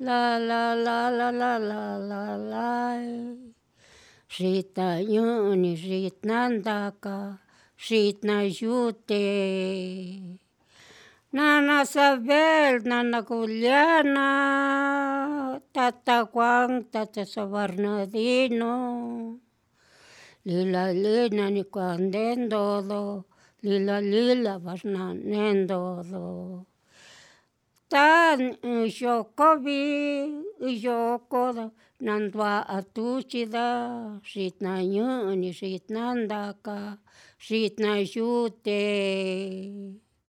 La la la la la la la lai. Xitañu'uni xitnandaka xitna yute, nana sabel, nana juliana, tata juan, tata bernardino, lila lina ni kuandendodo, lila lila barnanendodo, ta xokovi yokodo nandua'a tuchida xitnañu'uni, xitnandaka, xitna yute.